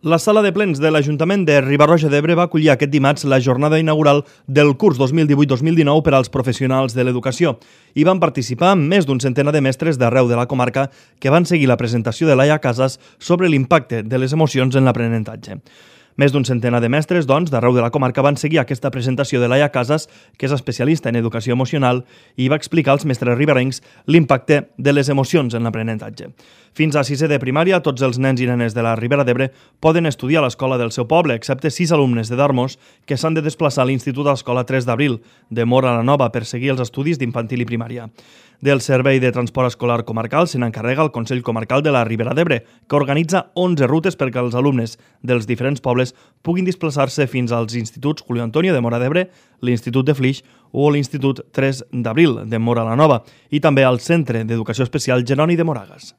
La sala de plens de l'Ajuntament de Riba-roja d'Ebre va acollir aquest dimarts la jornada inaugural del curs 2018-2019 per als professionals de l'educació. Hi van participar més d'un centenar de mestres d'arreu de la comarca que van seguir la presentació de Laia Casas sobre l'impacte de les emocions en l'aprenentatge. Més d'un centenar de mestres, doncs, d'arreu de la comarca van seguir aquesta presentació de Laia Casas, que és especialista en educació emocional, i va explicar als mestres riberencs l'impacte de les emocions en l'aprenentatge. Fins a sisè de primària, tots els nens i nenes de la Ribera d'Ebre poden estudiar a l'escola del seu poble, excepte 6 alumnes de Darmós que s'han de desplaçar a l'Institut d'Escola 3 d'Abril, de Móra la Nova, per seguir els estudis d'infantil i primària. Del Servei de Transport Escolar Comarcal se n'encarrega el Consell Comarcal de la Ribera d'Ebre, que organitza 11 rutes perquè els alumnes dels diferents pobles puguin desplaçar-se fins als instituts Julio Antonio de Móra d'Ebre, l'Institut de Flix o l'Institut 3 d'Abril de Móra la Nova i també al Centre d'Educació Especial Jeroni de Moragas.